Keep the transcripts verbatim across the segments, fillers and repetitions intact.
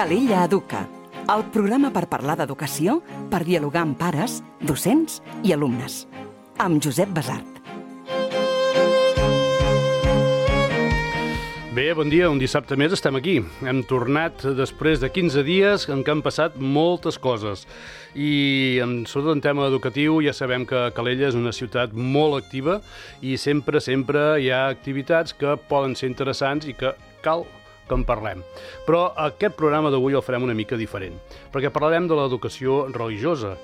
Calella Educa, el programa per parlar d'educació, per dialogar amb pares, docents i alumnes. Amb Josep Basart. Bé, bon dia, un dissabte més estem aquí. Hem tornat després de quinze dies en què han passat moltes coses. I sobretot en tema educatiu ja sabem que Calella és una ciutat molt activa i sempre, sempre hi ha activitats que poden ser interessants i que cal que en parlem. Però aquest programa d'avui el farem una mica diferent, perquè parlarem de l'educació religiosa,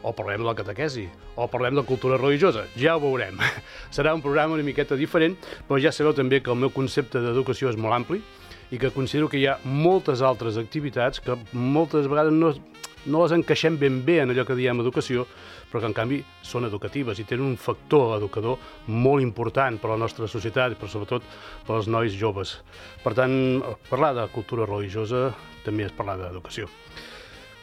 o parlem de la catequesi, o parlem de cultura religiosa. Ja ho veurem. Serà un programa una miqueta diferent, però ja sabeu també que el meu concepte d'educació és molt ampli i que considero que hi ha moltes altres activitats que moltes vegades no, no les encaixem ben bé en allò que diem educació, però que en canvi són educatives i tenen un factor educador molt important per a la nostra societat, però sobretot per als nois joves. Per tant, parlar de cultura religiosa també és parlar d'educació.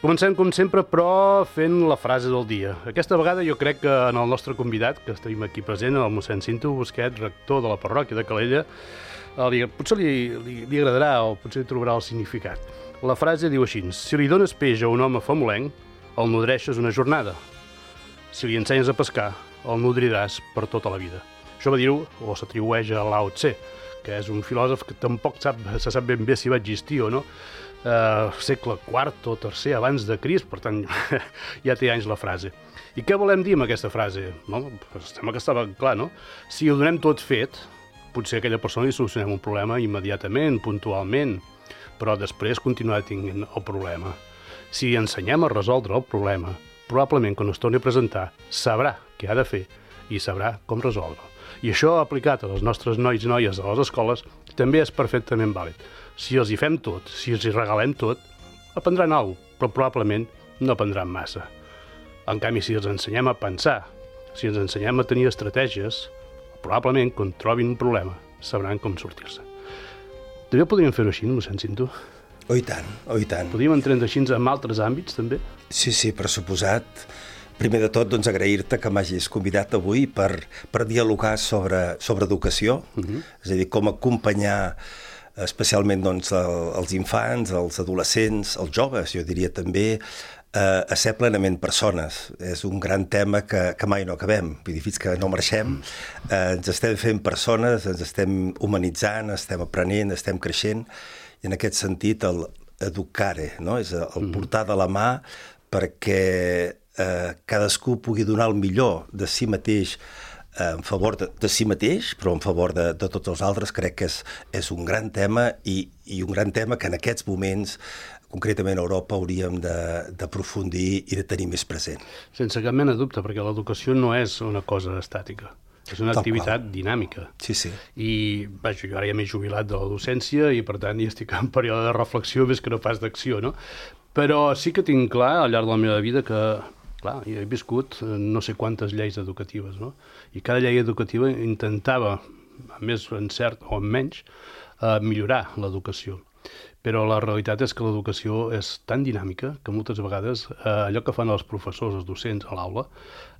Comencem, com sempre, però fent la frase del dia. Aquesta vegada jo crec que en el nostre convidat, que estem aquí present, el mossèn Cinto Busquet, rector de la parròquia de Calella, li, potser li, li, li agradarà o potser li trobarà el significat. La frase diu així: si li dones peix a un home famolenc, el nodreixes una jornada. Si li ensenyes a pescar, el nodriràs per tota la vida. Això va dir-ho, o s'atribueix a Lao Tse, que és un filòsof que tampoc sap, se sap ben bé si va existir o no, Uh, segle quart o tercer abans de Crist, per tant ja té anys la frase. I què volem dir amb aquesta frase? No? Pues sembla que estava clar, no? Si ho donem tot fet, potser a aquella persona li solucionem un problema immediatament, puntualment, però després continuarà tenint el problema. Si ensenyem a resoldre el problema, probablement quan es torni a presentar sabrà què ha de fer i sabrà com resoldre. I això aplicat a les nostres nois i noies de les escoles també és perfectament vàlid. Si els hi fem tot, si els hi regalem tot, aprendran alguna cosa, però probablement no aprendran massa. En canvi, si els ensenyem a pensar, si els ensenyem a tenir estratègies, probablement, quan trobin un problema, sabran com sortir-se. També podríem fer-ho així, mossèn Cinto? Oh, i tant, oh, i tant. Podríem entrar així en altres àmbits, també? Sí, sí, per suposat. Primer de tot, doncs, agrair-te que m'hagis convidat avui per, per dialogar sobre, sobre educació, uh-huh. És a dir, com acompanyar especialment doncs, el, els infants, els adolescents, els joves, jo diria també, eh, a ser plenament persones. És un gran tema que, que mai no acabem. Vull dir, fins que no marxem, eh, ens estem fent persones, ens estem humanitzant, estem aprenent, estem creixent, i en aquest sentit el educare, no? És el portar de la mà perquè eh, cadascú pugui donar el millor de si mateix en favor de, de si mateix, però en favor de, de tots els altres. Crec que és, és un gran tema i, i un gran tema que en aquests moments, concretament a Europa, hauríem d'aprofundir i de tenir més present. Sense cap mena de dubte, perquè l'educació no és una cosa estàtica, és una Tal activitat qual. dinàmica. Sí, sí. I vaja, jo ara ja m'he jubilat de la docència i per tant ja estic en període de reflexió més que no pas d'acció, no? Però sí que tinc clar al llarg de la meva vida que clar, jo he viscut no sé quantes lleis educatives, no? I cada llei educativa intentava, amb més encert o amb menys, eh, millorar l'educació. Però la realitat és que l'educació és tan dinàmica que moltes vegades eh, allò que fan els professors, els docents a l'aula,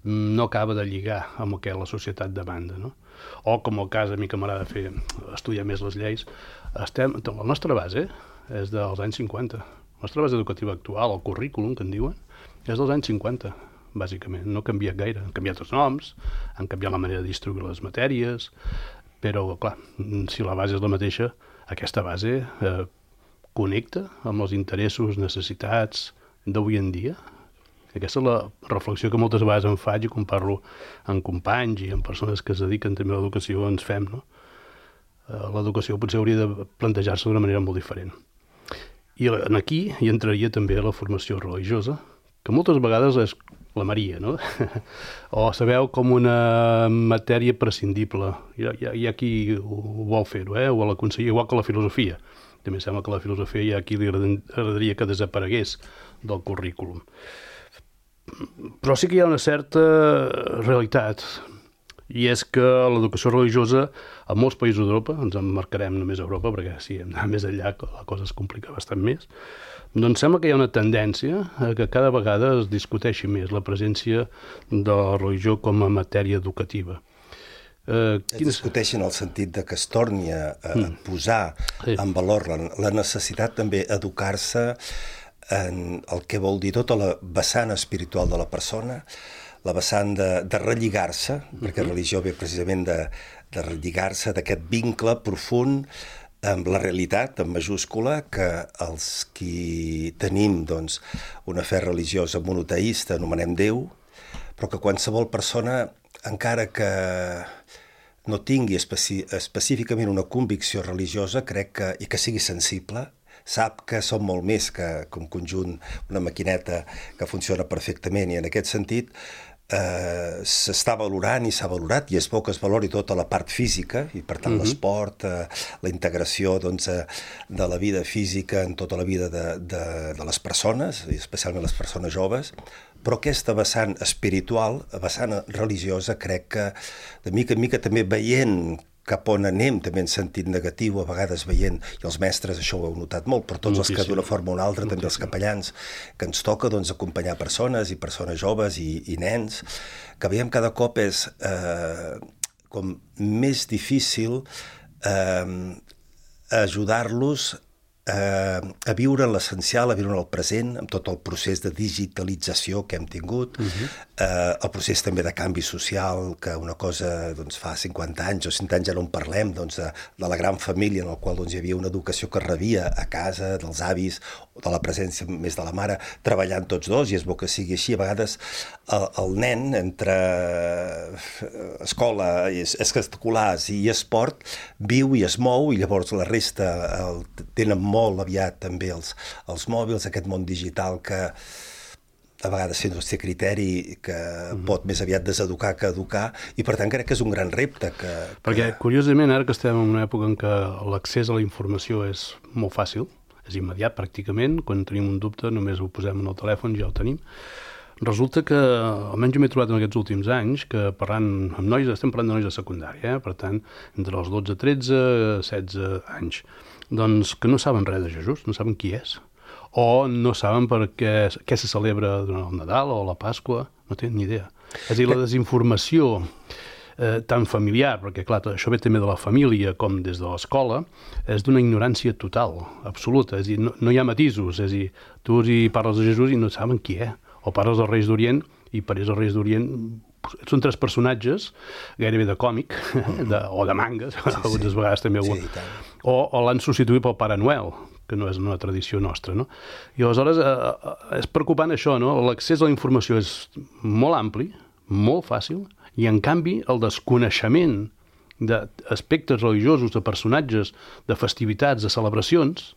no acaba de lligar amb el que la societat demanda, no? O, com el cas a mi que m'agrada fer, estudiar més les lleis, estem, la nostra base és dels anys cinquanta. La nostra base educativa actual, el currículum, que en diuen, és dels anys cinquanta, bàsicament. No ha canviat gaire. Han canviat els noms, han canviat la manera de distribuir les matèries, però, clar, si la base és la mateixa, aquesta base eh, connecta amb els interessos, necessitats d'avui en dia. Aquesta és la reflexió que moltes vegades em faig i quan parlo amb companys i amb persones que es dediquen també a l'educació ens fem, no? Eh, l'educació potser hauria de plantejar-se d'una manera molt diferent. I aquí hi entraria també la formació religiosa, que moltes vegades és la Maria, no? O sabeu com una matèria prescindible. Hi ha, hi ha qui ho vol fer-ho, eh? O l'aconseguir, igual que la filosofia. També sembla que la filosofia hi ha qui li agradaria que desaparegués del currículum. Però sí que hi ha una certa realitat, i és que l'educació religiosa a molts països d'Europa, ens emmarcarem només a Europa, perquè si hem d'anar més enllà la cosa es complica bastant més, doncs sembla que hi ha una tendència a que cada vegada es discuteixi més la presència de la religió com a matèria educativa. Eh, es discuteixen el sentit de que es torni a, a mm. posar sí. en valor la, la necessitat també educar-se en el que vol dir tota la vessant espiritual de la persona, la vessant de, de relligar-se, mm-hmm. perquè religió ve precisament de, de relligar-se, d'aquest vincle profund amb la realitat, en majúscula, que els qui tenim doncs, una fe religiosa monoteïsta anomenem Déu, però que qualsevol persona, encara que no tingui especi específicament una convicció religiosa, crec que, i que sigui sensible, sap que som molt més que, que un conjunt, una maquineta que funciona perfectament, i en aquest sentit eh, s'està valorant i s'ha valorat, i és bo que es valori tota la part física, i per tant uh-huh. l'esport, eh, la integració doncs, eh, de la vida física en tota la vida de, de, de les persones, i especialment les persones joves, però aquesta vessant espiritual, vessant religiosa, crec que de mica en mica també veient cap on anem, també en sentit negatiu, a vegades veient, i els mestres això ho heu notat molt, però tots Moltíssim. Els que d'una forma o una altra, Moltíssim. També els capellans, que ens toca doncs, acompanyar persones i persones joves i, i nens, que veiem cada cop és eh, com més difícil eh, ajudar-los Eh, a viure en l'essencial, a viure en el present, amb tot el procés de digitalització que hem tingut, uh-huh. eh, el procés també de canvi social, que una cosa doncs, fa cinquanta anys o cent anys ja no en parlem, doncs, de, de la gran família en la qual doncs, hi havia una educació que es rebia a casa, dels avis, o de la presència més de la mare, treballant tots dos, i és bo que sigui així. A vegades el, el nen, entre escola, extraescolars i esport, viu i es mou, i llavors la resta el, tenen molt aviat també els, els mòbils, aquest món digital que a vegades sense té criteri, que mm-hmm. pot més aviat deseducar que educar, i per tant crec que és un gran repte. Que, Perquè, que... curiosament, ara que estem en una època en què l'accés a la informació és molt fàcil, és immediat pràcticament, quan tenim un dubte només ho posem en el telèfon i ja ho tenim, resulta que, almenys jo m'he trobat en aquests últims anys, que parlant amb nois, estem parlant de nois de secundària, eh? Per tant, entre els dotze, tretze, setze anys, doncs que no saben res de Jesús, no saben qui és, o no saben per què, què se celebra durant el Nadal o la Pasqua, no tenen ni idea. És a dir, la desinformació eh, tan familiar, perquè clar, això ve també de la família com des de l'escola, és d'una ignorància total, absoluta, és a dir, no, no hi ha matisos, és a dir, tu hi parles de Jesús i no saben qui és, o parles dels Reis d'Orient i parles dels Reis d'Orient són tres personatges gairebé de còmic de, o de mangas, sí, algunes sí. vegades també sí, o, o l'han substituït pel Pare Noel, que no és una tradició nostra, no? I aleshores eh, és preocupant això, no? L'accés a la informació és molt ampli, molt fàcil, i en canvi el desconeixement d'aspectes religiosos, de personatges, de festivitats, de celebracions,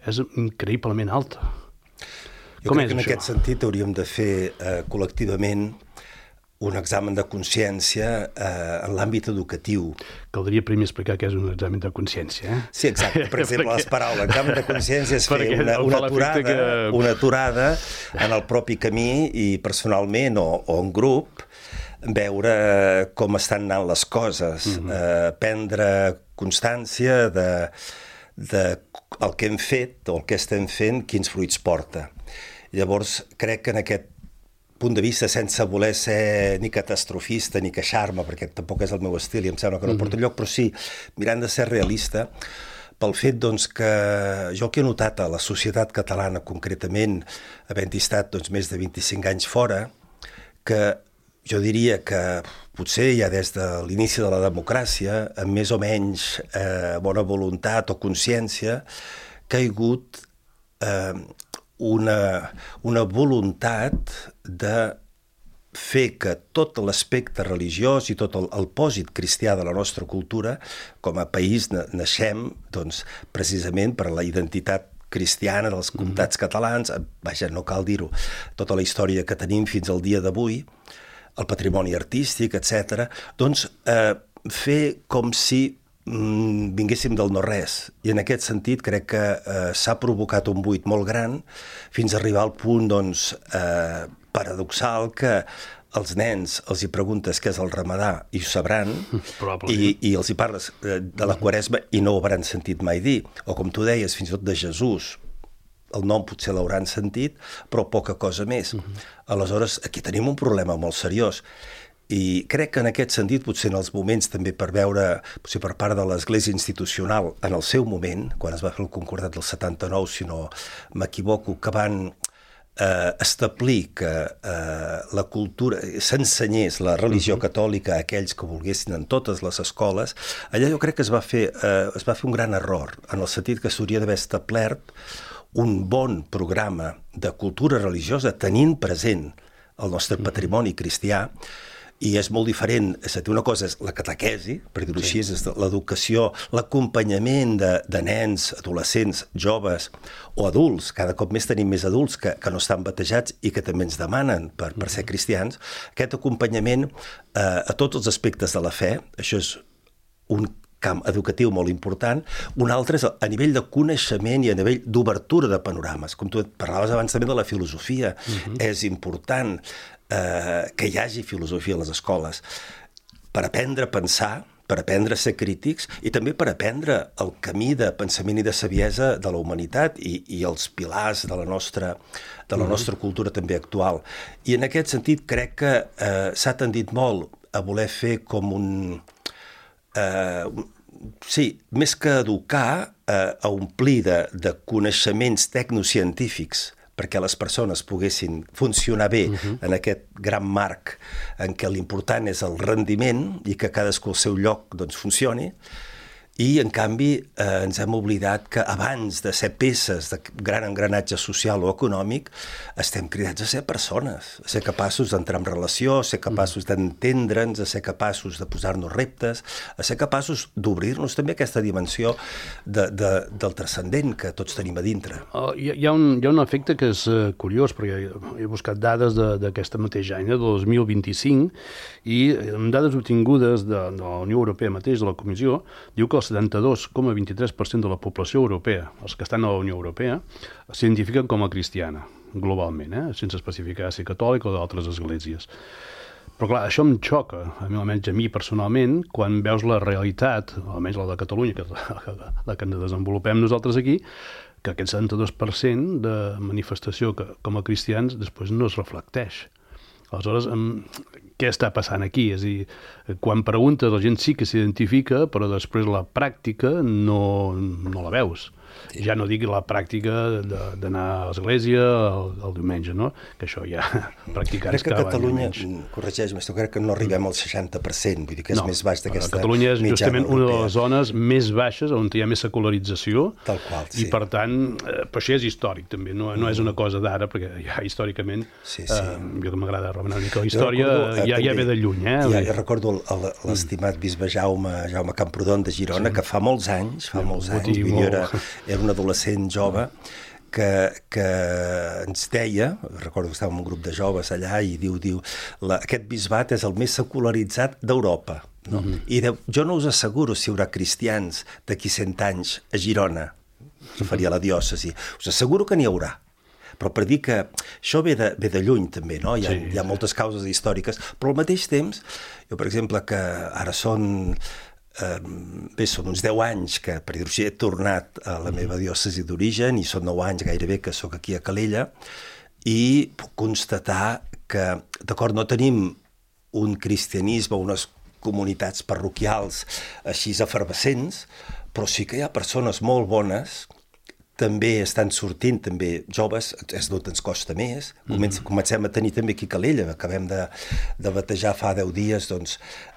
és increïblement alta. Jo Com crec que en això? Aquest sentit hauríem de fer eh, col·lectivament un examen de consciència eh, en l'àmbit educatiu. Caldria primer explicar què és un examen de consciència. Eh? Sí, exacte. Per exemple, les paraules. L'examen de consciència és fer una, una, aturada, que... una aturada en el propi camí i personalment o, o en grup veure com estan anant les coses, mm-hmm. eh, prendre constància de, de el que hem fet o el que estem fent, quins fruits porta. Llavors, crec que en aquest punt de vista, sense voler ser ni catastrofista ni queixar-me, perquè tampoc és el meu estil i em sembla que no porta lloc, però sí, mirant de ser realista, pel fet doncs, que jo el que he notat a la societat catalana concretament, havent estat doncs, més de vint-i-cinc anys fora, que jo diria que potser ja des de l'inici de la democràcia, amb més o menys eh, bona voluntat o consciència, que ha hagut eh, una, una voluntat de fer que tot l'aspecte religiós i tot el, el pòsit cristià de la nostra cultura, com a país naixem doncs, precisament per la identitat cristiana dels comtats mm-hmm. catalans, vaja, no cal dir-ho, tota la història que tenim fins al dia d'avui, el patrimoni artístic, etcètera, doncs eh, fer com si mm, vinguéssim del no-res. I en aquest sentit crec que eh, s'ha provocat un buit molt gran fins a arribar al punt doncs, eh, paradoxal que als nens els hi preguntes què és el ramadà i ho sabran, i, i els hi parles de la Quaresma i no ho hauran sentit mai dir. O com tu deies, fins i tot de Jesús, el nom potser l'hauran sentit, però poca cosa més. Uh-huh. Aleshores, aquí tenim un problema molt seriós. I crec que en aquest sentit, potser en els moments també per veure, potser per part de l'Església institucional, en el seu moment, quan es va fer el concordat del setanta-nou, si no m'equivoco, que van eh, establir que eh, la cultura, s'ensenyés la religió uh-huh. catòlica a aquells que volguessin en totes les escoles, allà jo crec que es va fer, eh, es va fer un gran error, en el sentit que s'hauria d'haver establert un bon programa de cultura religiosa tenint present el nostre patrimoni cristià. I és molt diferent, és a dir, una cosa és la catequesi, per dir-ho així, és l'educació, l'acompanyament de, de nens, adolescents, joves o adults, cada cop més tenim més adults que, que no estan batejats i que també ens demanen per, per ser cristians, aquest acompanyament eh, a tots els aspectes de la fe, això és un camp educatiu molt important. Un altre és a nivell de coneixement i a nivell d'obertura de panorames. Com tu parlaves abans també de la filosofia, uh-huh. és important eh, que hi hagi filosofia a les escoles per aprendre a pensar, per aprendre a ser crítics i també per aprendre el camí de pensament i de saviesa de la humanitat i, i els pilars de la nostra, de la nostra cultura també actual. I en aquest sentit crec que eh, s'ha tendit molt a voler fer com un... Uh, sí, més que educar, uh, a omplir de, de coneixements tecnocientífics perquè les persones poguessin funcionar bé uh-huh. en aquest gran marc en què l'important és el rendiment i que cadascú al seu lloc doncs, funcioni. I, en canvi, eh, ens hem oblidat que abans de ser peces de gran engranatge social o econòmic, estem cridats a ser persones, a ser capaços d'entrar en relació, a ser capaços d'entendre'ns, a ser capaços de posar-nos reptes, a ser capaços d'obrir-nos també aquesta dimensió de, de, del transcendent que tots tenim a dintre. Uh, hi, hi, ha un, hi ha un efecte que és uh, curiós, perquè he buscat dades d'aquesta mateixa any, de dos mil vint-i-cinc, i amb dades obtingudes de, de la Unió Europea mateix, de la Comissió, diu que el setanta-dos coma vint-i-tres per cent de la població europea, els que estan a la Unió Europea, s'identifiquen com a cristiana, globalment, eh? sense especificar si catòlica o d'altres esglésies. Però clar, això em xoca, almenys a mi personalment, quan veus la realitat, almenys la de Catalunya, que és la, la que ens desenvolupem nosaltres aquí, que aquest setanta-dos per cent de manifestació que, com a cristians després no es reflecteix. Aleshores, què està passant aquí? És a dir, quan preguntes, la gent sí que s'identifica, però després la pràctica no, no la veus. Sí. Ja no dic la pràctica d'anar a l'església el, el diumenge, no? Que això ja practicar crec que a Catalunya, corregeix-me, crec que no arribem al seixanta per cent, vull dir que és no, més baix d'aquesta mitjana. Catalunya és justament una de les zones més baixes on hi ha més secularització. Tal qual, sí. I per tant, eh, però això és històric també, no, no és una cosa d'ara, perquè ja històricament, sí, sí. Eh, jo que m'agrada remenar una mica la història, recordo, ja, ja ve de lluny. Eh? Ja, ja recordo l'estimat bisbe Jaume, Jaume Camprodon de Girona, sí. que fa molts anys, fa molts anys, vull dir, era, era un adolescent jove que, que ens deia, recordo que estàvem en un grup de joves allà, i diu, diu la, aquest bisbat és el més secularitzat d'Europa. No? Mm-hmm. I diu, jo no us asseguro si hi haurà cristians d'aquí cent anys a Girona, referia a la diòcesi, us asseguro que n'hi haurà. Però per dir que això ve de, ve de lluny també, no? Hi ha, sí. hi ha moltes causes històriques, però al mateix temps, jo per exemple que ara són... Eh, bé, són uns deu anys que, per dir-ho així, he tornat a la meva diòcesi d'origen i són nou anys gairebé que sóc aquí a Calella i puc constatar que, d'acord, no tenim un cristianisme, unes comunitats parroquials així efervescents, però sí que hi ha persones molt bones, també estan sortint, també joves, és d'on ens costa més. Mm-hmm. Comencem a tenir també aquí a Calella, acabem de, de batejar fa deu dies doncs,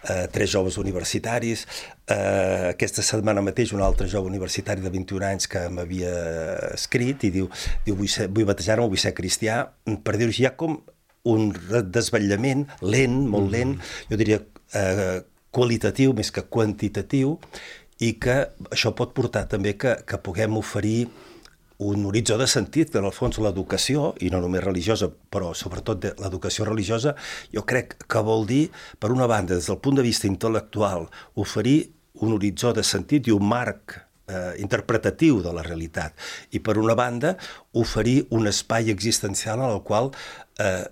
eh, tres joves universitaris. Eh, aquesta setmana mateix un altre jove universitari de vint-i-un anys que m'havia escrit i diu, diu vull, ser, vull batejar-me, vull ser cristià. Per dir-ho així, hi ha com un desvetllament lent, molt lent, mm-hmm. jo diria eh, qualitatiu més que quantitatiu, i que això pot portar també que, que puguem oferir un horitzó de sentit, que en el fons l'educació, i no només religiosa, però sobretot l'educació religiosa, jo crec que vol dir, per una banda, des del punt de vista intel·lectual, oferir un horitzó de sentit i un marc eh, interpretatiu de la realitat. I per una banda, oferir un espai existencial en el qual eh,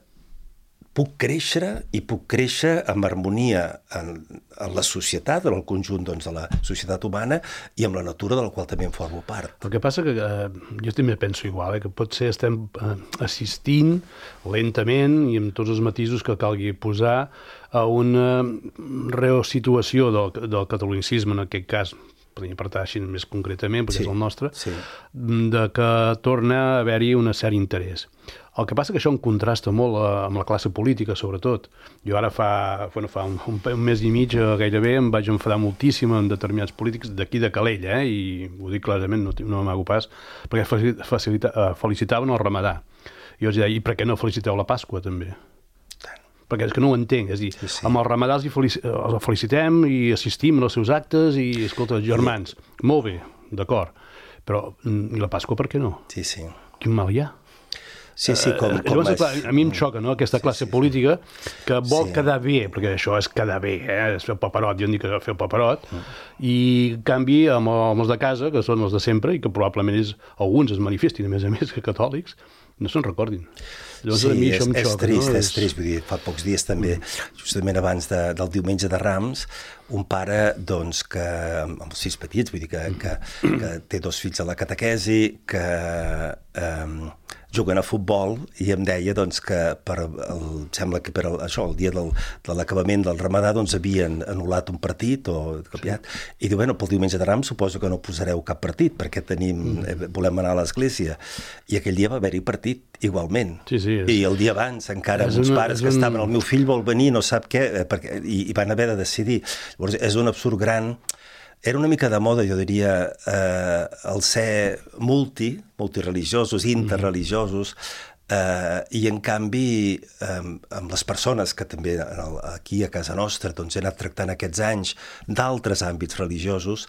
puc créixer i puc créixer amb harmonia en, en la societat, en el conjunt doncs, de la societat humana i amb la natura de la qual també en formo part. El que passa que eh, jo també penso igual, eh, que potser estem eh, assistint lentament i amb tots els matisos que calgui posar a una resituació del, del catolicisme, en aquest cas, podríem apartar així més concretament, perquè sí, és el nostre, sí. de que torna a haver-hi un cert interès. El que passa que això em contrasta molt amb la classe política, sobretot. Jo ara fa, bueno, fa un, un, un mes i mig gairebé em vaig enfadar moltíssim amb determinats polítics d'aquí de Calella, eh? I ho dic clarament, no, no m'amago pas, perquè facilita, felicitaven el Ramadà. I jo els deia, i per què no feliciteu la Pasqua, també? Perquè és que no ho entenc, és a dir, sí, sí. amb el Ramadà els, felici els felicitem i assistim als seus actes i, escolta, germans, sí. molt bé, d'acord, però i la Pasqua per què no? Sí, sí. Quin mal hi ha? Sí, sí, com, uh, com llavors, clar, a mi em xoca, no?, aquesta classe sí, sí, política que vol sí. quedar bé, perquè això és quedar bé, eh? És fer el paperot, jo en dic que fer el paperot, mm. i en canvi amb, amb els de casa, que són els de sempre, i que probablement és, alguns es manifestin, a més a més, que catòlics, no se'n recordin. Llavors, sí, a mi això és, em xoca, és trist, no? és trist, vull dir, fa pocs dies també, justament abans de, del diumenge de Rams, un pare, doncs, que, amb els fills petits, vull dir, que, que, que té dos fills a la catequesi, que eh, juguen a futbol, i em deia, doncs, que per el, sembla que per el, això, el dia del, de l'acabament del Ramadà, doncs, havien anul·lat un partit o canviat, sí. i diu, bueno, pel diumenge de Rams suposo que no posareu cap partit, perquè tenim, mm. volem anar a l'església, i aquell dia va haver-hi partit, igualment. Sí, sí, és... I el dia abans, encara, amb uns pares que un... estaven, el meu fill vol venir, no sap què, perquè, i, i van haver de decidir. Llavors, és un absurd gran. Era una mica de moda, jo diria, eh, el ser multi, multireligiosos, interreligiosos, eh, i en canvi, eh, amb les persones que també aquí a casa nostra doncs, he anat tractant aquests anys d'altres àmbits religiosos,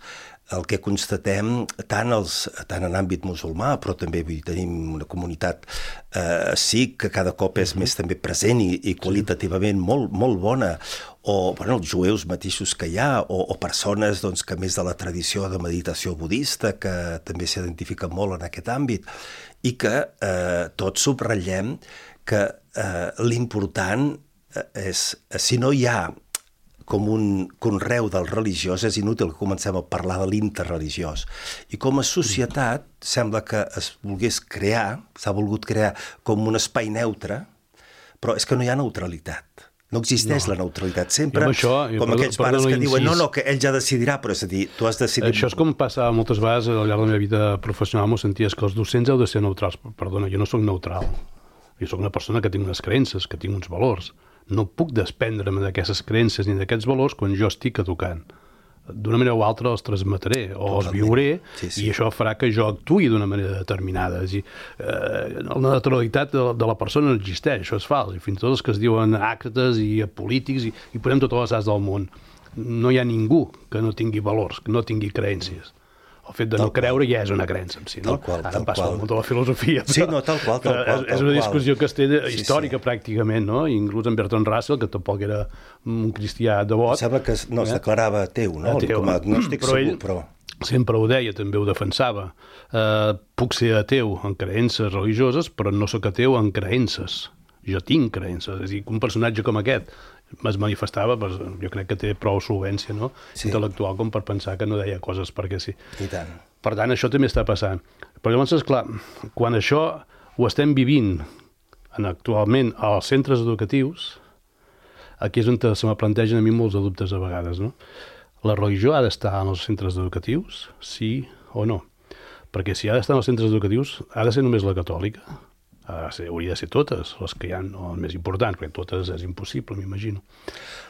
el que constatem, tant, els, tant en àmbit musulmà, però també vull dir, tenim una comunitat eh, sikh que cada cop és més també present i, i qualitativament molt, molt bona, o bueno, els jueus mateixos que hi ha, o, o persones doncs, que més de la tradició de meditació budista, que també s'identifiquen molt en aquest àmbit, i que eh, tots subratllem que eh, l'important és, si no hi ha com un conreu del religiós, és inútil que comencem a parlar de l'interreligiós. I com a societat sembla que es volgués crear, s'ha volgut crear com un espai neutre, però és que no hi ha neutralitat. No existeix no. la neutralitat. Sempre, això, com perdó, aquells pares que diuen, no, no, que ell ja decidirà, però és a dir, tu has decidit... Això és com passa moltes vegades al llarg de la meva vida professional, m'ho senties que els docents heu de ser neutrals. Perdona, jo no sóc neutral. Jo sóc una persona que tinc unes creences, que tinc uns valors. No puc desprendre'm d'aquestes creences ni d'aquests valors quan jo estic educant. D'una manera o altra els transmetré o els viuré, sí, sí. i això farà que jo actuï d'una manera determinada. És a dir, eh, la naturalitat de, de la persona no existeix, això és fals. I fins i tot els que es diuen àcrates i polítics i, i posem totes les as del món. No hi ha ningú que no tingui valors, que no tingui creences. El fet de no creure ja és una creença en si, no? Tal qual, Ara tal em passa qual. molt de la filosofia. Però... Sí, no, tal qual, tal qual. És una discussió que es té sí, històrica, sí. pràcticament, no? Inclús en Bertrand Russell, que tampoc era un cristià devot. Em sembla que no, es declarava ateu, no? Ateu. Com a agnòstic però segur, ell però... sempre ho deia, també ho defensava. Uh, puc ser ateu en creences religioses, però no sóc ateu en creences. Jo tinc creences. És a dir, un personatge com aquest es manifestava, pues, jo crec que té prou solvència, no? sí. intel·lectual com per pensar que no deia coses perquè sí. I tant. Per tant, això també està passant. Però llavors, esclar, quan això ho estem vivint en, actualment als centres educatius, aquí és on se me plantegen a mi molts de dubtes a vegades, no? La religió ha d'estar en els centres educatius, sí o no? Perquè si ha d'estar en els centres educatius, ha de ser només la catòlica? Ha de ser, hauria de ser totes, les que hi ha, no, les més importants, perquè totes és impossible, m'imagino.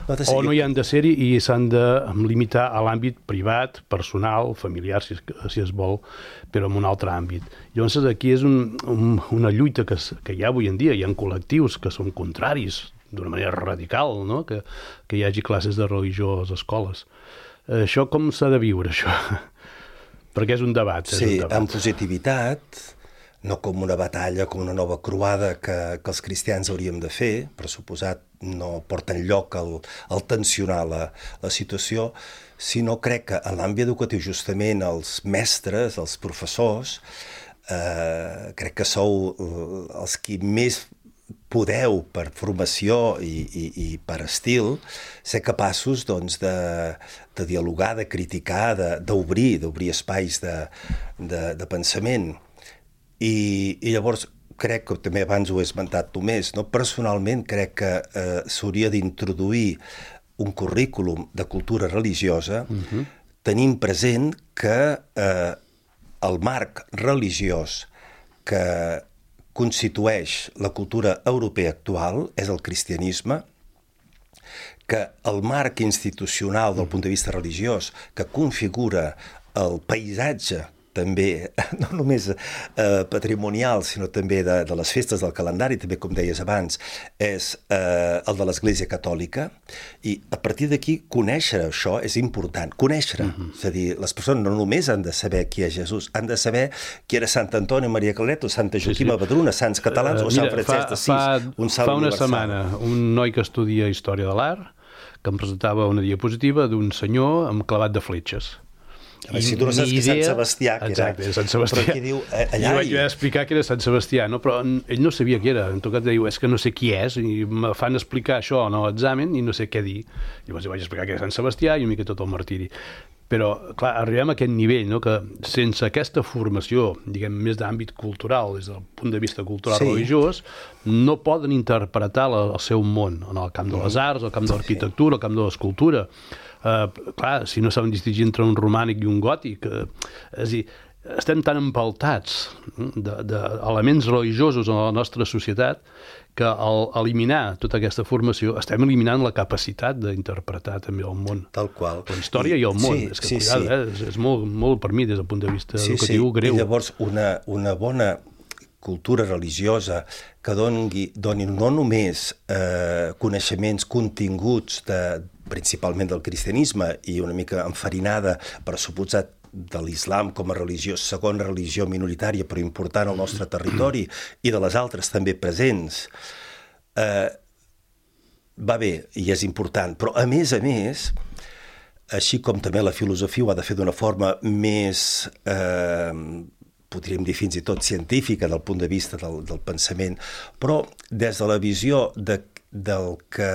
No ser... O no hi han de ser-hi i s'han de limitar a l'àmbit privat, personal, familiar, si es, si es vol, però en un altre àmbit. Llavors, aquí és un, un, una lluita que, que hi ha avui en dia. Hi ha col·lectius que són contraris d'una manera radical, no? que, que hi hagi classes de religió a les escoles. Això com s'ha de viure, això? Perquè és un debat. És sí, un debat. amb positivitat, no com una batalla, com una nova croada que, que els cristians hauríem de fer, per suposat no porta enlloc el, el tensionar la, la situació, sinó crec que en l'àmbit educatiu justament els mestres, els professors, eh, crec que sou els qui més podeu, per formació i, i, i per estil, ser capaços doncs, de, de dialogar, de criticar, d'obrir, d'obrir espais de, de, de pensament. I, i llavors crec que també abans ho he esmentat només, no? Personalment crec que eh, s'hauria d'introduir un currículum de cultura religiosa, uh-huh. tenint present que eh, el marc religiós que constitueix la cultura europea actual és el cristianisme, que el marc institucional del punt de vista religiós que configura el paisatge també, no només eh, patrimonial, sinó també de, de les festes del calendari, també, com deies abans, és eh, el de l'Església Catòlica, i a partir d'aquí conèixer això és important, conèixer, uh-huh. és a dir, les persones no només han de saber qui és Jesús, han de saber qui era Sant Antoni, Maria Claret, o Santa Joaquima sí, sí. Badruna, Sants Catalans, uh, o Sant Francesc d'Assís, un salt fa una universal. setmana, un noi que estudia Història de l'Art, que em presentava una diapositiva d'un senyor amb clavat de fletxes. Si tu no saps que és Sant Sebastià, que exacte, era... Sant Sebastià. Però qui diu, allà... Jo vaig explicar que era Sant Sebastià, no? Però ell no sabia qui era. En tot cas, diu, és que no sé qui és, i me fan explicar això en l'examen i no sé què dir. Llavors vaig explicar que era Sant Sebastià i una mica tot el martiri. Però, clar, arribem a aquest nivell, no? Que sense aquesta formació, diguem, més d'àmbit cultural, des del punt de vista cultural sí. religiós, no poden interpretar la, el seu món, en el camp de les arts, el camp de l'arquitectura, el camp de l'escultura. Uh, clar, si no saben distingir entre un romànic i un gòtic, uh, és a dir, estem tan empaltats d'elements de, religiosos en la nostra societat que al eliminar tota aquesta formació estem eliminant la capacitat d'interpretar també el món. Tal qual. La història i, i el món. Sí, és que, sí, cuidado, sí. Eh? És, és molt, molt per mi des del punt de vista sí, educatiu sí. greu. I llavors una, una bona cultura religiosa que doni, doni no només eh, coneixements continguts de, principalment del cristianisme i una mica enfarinada per suposat de l'islam com a religió, segona religió minoritària però important al nostre territori i de les altres també presents, eh, va bé i és important, però a més a més, així com també la filosofia ho ha de fer d'una forma més, eh, podríem dir fins i tot científica del punt de vista del, del pensament, però des de la visió de, del que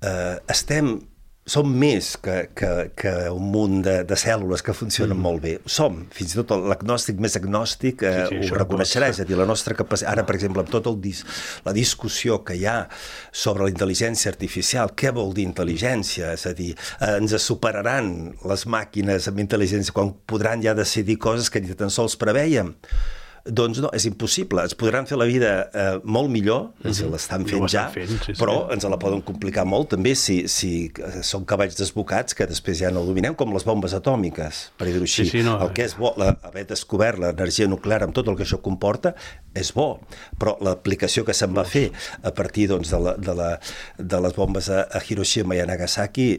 eh, estem, som més que, que, que un munt de, de cèl·lules que funcionen mm. molt bé. Som, fins i tot l'agnòstic més agnòstic eh, sí, sí, ho reconeixerà, és a dir, la nostra capacitat, ara per exemple amb tota dis, la discussió que hi ha sobre la intel·ligència artificial, què vol dir intel·ligència? És a dir, eh, ens superaran les màquines amb intel·ligència quan podran ja decidir coses que ni tan sols preveiem? Doncs no, és impossible. Ens podran fer la vida eh, molt millor, ens mm-hmm. l'estan fent ja, fent, sí, sí. però ens la poden complicar molt també si, si són cavalls desbocats que després ja no dominem, com les bombes atòmiques, per dir-ho així. Sí, sí, no. El que és bo, la, haver descobert l'energia nuclear amb tot el que això comporta, és bo, però l'aplicació que se'n va fer a partir doncs, de, la, de, la, de les bombes a, a Hiroshima i a Nagasaki,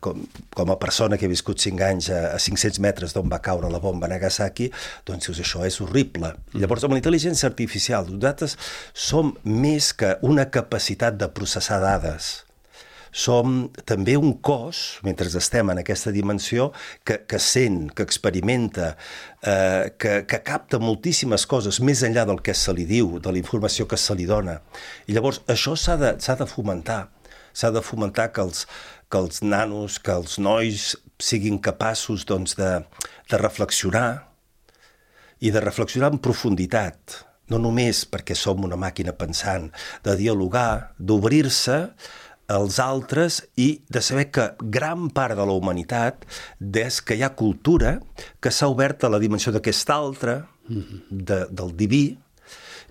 Com, com a persona que he viscut cinc anys a, a cinc-cents metres d'on va caure la bomba a Nagasaki, doncs dius, això és horrible. Mm. Llavors, amb la intel·ligència artificial, nosaltres som més que una capacitat de processar dades. Som també un cos, mentre estem en aquesta dimensió, que, que sent, que experimenta, eh, que, que capta moltíssimes coses més enllà del que se li diu, de la informació que se li dona. I llavors, això s'ha de, s'ha de fomentar. S'ha de fomentar que els, que els nanos, que els nois siguin capaços doncs, de, de reflexionar i de reflexionar en profunditat, no només perquè som una màquina pensant, de dialogar, d'obrir-se als altres i de saber que gran part de la humanitat, des que hi ha cultura, que s'ha obert a la dimensió d'aquest altre, de, del diví,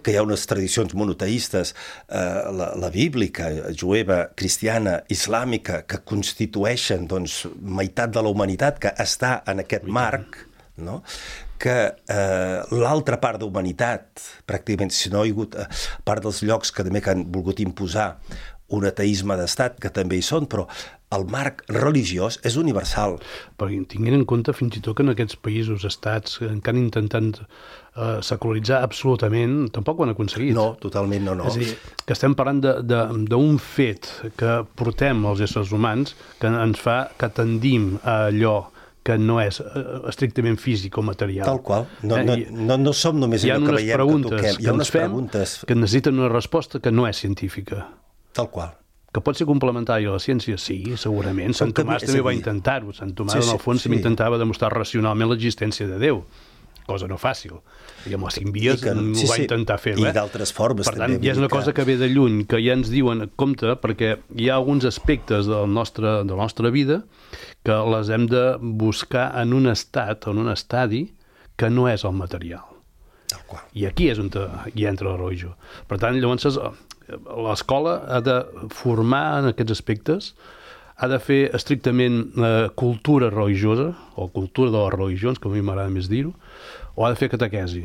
que hi ha unes tradicions monoteistes, eh, la, la bíblica, jueva, cristiana, islàmica, que constitueixen doncs, meitat de la humanitat que està en aquest marc, no? Que eh, l'altra part de humanitat, pràcticament, si no hi ha hagut eh, part dels llocs que també que han volgut imposar un ateisme d'estat, que també hi són, però el marc religiós és universal. Perquè tinguin en compte fins i tot que en aquests països, estats, que han intentat eh, secularitzar absolutament, tampoc ho han aconseguit. No, totalment no, no. És a dir, que estem parlant d'un fet que portem els éssers humans que ens fa que tendim a allò que no és estrictament físic o material. Tal qual. No, no, no, no som només allò que veiem, que toquem. Hi ha unes preguntes que necessiten una resposta que no és científica. Tal qual. Que pot ser complementària a la ciència? Sí, segurament. Sant Tomàs també va intentar-ho. Sant Tomàs, en el fons, intentava demostrar racionalment l'existència de Déu, cosa no fàcil. I amb les cinc vies ho va intentar fer. I d'altres formes també. Per tant, hi ha una cosa que ve de lluny, que ja ens diuen, compte, perquè hi ha alguns aspectes de la nostra, de la nostra vida que les hem de buscar en un estat, en un estadi, que no és el material. Tal qual. I aquí és on hi entra la religió. Per tant, llavors, l'escola ha de formar en aquests aspectes, ha de fer estrictament eh, cultura religiosa, o cultura de les religions, com a mi m'agrada més dir-ho, o ha de fer catequesi.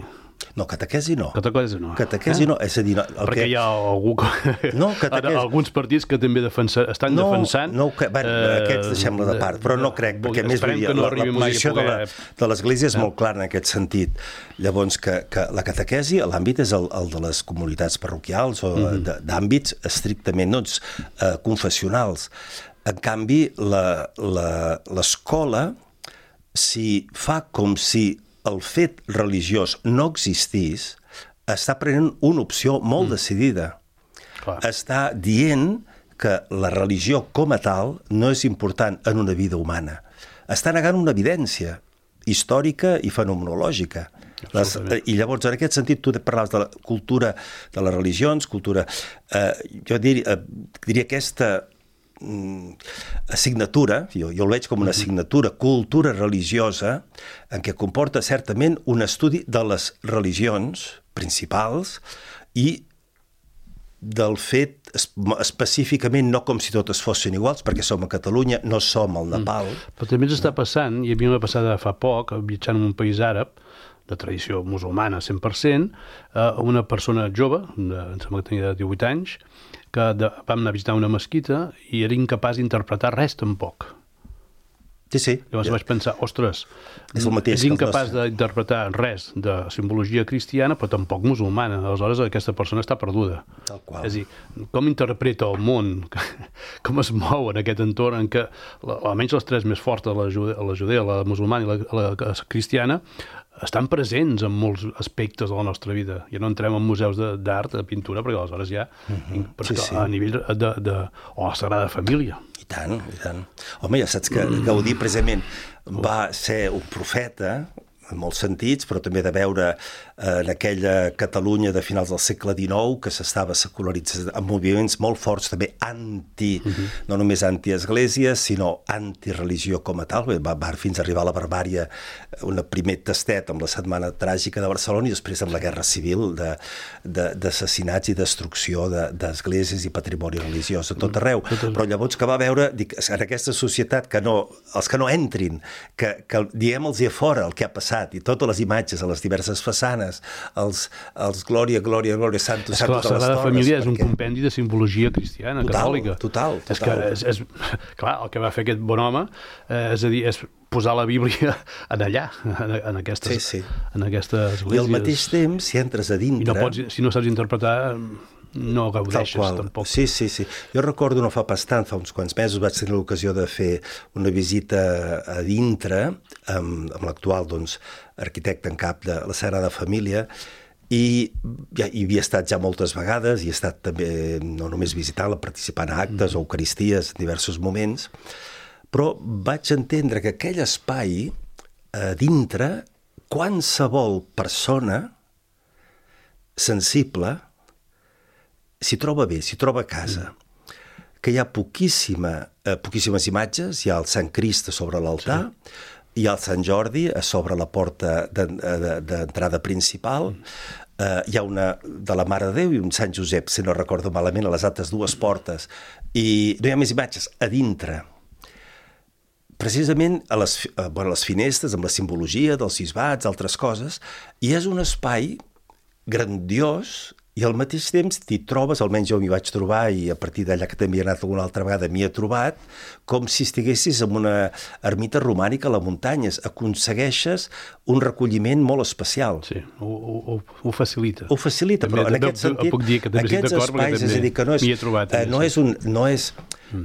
No, catequesi no. Catequesi no. Catequesi eh? no, és a dir... No, el Perquè que... hi ha algú que... no, catequesi... alguns partits que també defensa... estan no, defensant... No, que... bueno, eh, aquests deixem-la de part, però no crec, perquè més vull dir, no la, la posició poder... de, la, de l'Església és eh? molt clara en aquest sentit. Llavors, que, que la catequesi, l'àmbit és el, el de les comunitats parroquials o mm-hmm. d'àmbits estrictament no, eh, confessionals. En canvi, l'escola, si fa com si el fet religiós no existís, està prenent una opció molt mm. decidida. Clar. Està dient que la religió com a tal no és important en una vida humana. Està negant una evidència històrica i fenomenològica. Les, I llavors, en aquest sentit, tu parlaves de la cultura de les religions, cultura... Eh, jo dir, eh, diria aquesta... assignatura, jo, jo el veig com una assignatura, cultura religiosa, en què comporta certament un estudi de les religions principals i del fet específicament no com si totes fossin iguals, perquè som a Catalunya, no som al Nepal. Mm. Però també ens està passant, i a mi m'ha passat fa poc, viatjant en un país àrab, de tradició musulmana cent per cent, una persona jove, de, em sembla que tenia divuit anys, que de, vam anar a visitar una mesquita i era incapaç d'interpretar res tampoc. Sí, sí. Llavors ja. vaig pensar, ostres, és, el mateix és incapaç d'interpretar res de simbologia cristiana, però tampoc musulmana. Aleshores, aquesta persona està perduda. Tal qual. És a dir, com interpreta el món, com es mou en aquest entorn en què, almenys les tres més fortes, la judea, la, judea, la musulmana i la, la cristiana, estan presents en molts aspectes de la nostra vida. Ja no entrem en museus d'art, de pintura, perquè aleshores ja... Mm-hmm. Però sí, sí. A nivell de, de... o la Sagrada Família. I tant, i tant. Home, ja saps que mm. Gaudí, precisament, va ser un profeta, en molts sentits, però també de veure eh, en aquella Catalunya de finals del segle dinou que s'estava secularitzant amb moviments molt forts també anti, uh-huh. no només anti-església, sinó antireligió com a tal. Va, va fins a arribar a la barbària un primer tastet amb la Setmana Tràgica de Barcelona i després amb la Guerra Civil d'assassinats i destrucció d'esglésies i patrimoni religiós a tot arreu. Uh-huh. Però llavors que va veure, dic, en aquesta societat, que no, els que no entrin, que, que diguem-los a fora el que ha passat, i totes les imatges a les diverses façanes, els, els Glòria, Glòria, Glòria, Santos, Santos a les torres. La Sagrada Família és un compendi de simbologia cristiana, total, catòlica. Total, total. És que, és, és, clar, el que va fer aquest bon home, eh, és a dir, és posar la Bíblia en allà, en, en, aquestes, sí, sí. en aquestes esglésies. I al mateix temps, si entres a dintre... I no pots, si no saps interpretar... no gaudeixes tampoc. Sí, sí, sí. Jo recordo no fa pas tant, fa uns quants mesos vaig tenir l'ocasió de fer una visita a dintre amb, amb l'actual doncs, arquitecte en cap de la Sagrada Família i ja, hi havia estat ja moltes vegades i he estat també no només visitant-la, participant a actes mm. o eucaristies en diversos moments, però vaig entendre que aquell espai a dintre, qualsevol persona sensible s'hi troba bé, s'hi troba a casa, que hi ha poquíssima, eh, poquíssimes imatges, hi ha el Sant Crist sobre l'altar, sí. hi ha el Sant Jordi a sobre la porta d'entrada principal, eh, hi ha una de la Mare de Déu i un Sant Josep, si no recordo malament, a les altres dues portes, i no hi ha més imatges, a dintre. Precisament a les, a, bueno, a les finestres, amb la simbologia dels bisbats, altres coses, i és un espai grandiós i al mateix temps t'hi trobes, almenys jo m'hi vaig trobar i a partir d'allà que també he anat alguna altra vegada m'hi he trobat, com si estiguessis en una ermita romànica a les muntanyes. Aconsegueixes un recolliment molt especial. Sí, ho, ho, ho facilita. Ho facilita, també, però en aquest sentit, puc dir que aquests espais, és a dir, que no és, trobat, eh, no és un... No és,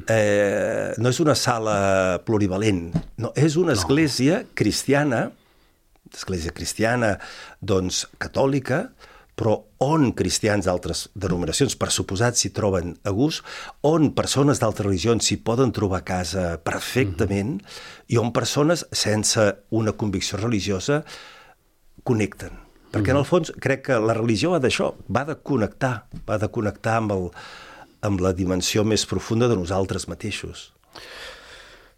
eh, no és una sala plurivalent, no, és una església no. cristiana, església cristiana, doncs, catòlica, però on cristians d'altres denominacions, per suposat, s'hi troben a gust, on persones d'altres religions s'hi poden trobar a casa perfectament, mm-hmm. i on persones sense una convicció religiosa connecten. Perquè, mm-hmm. en el fons, crec que la religió va d'això, va de connectar, va de connectar amb, el, amb la dimensió més profunda de nosaltres mateixos.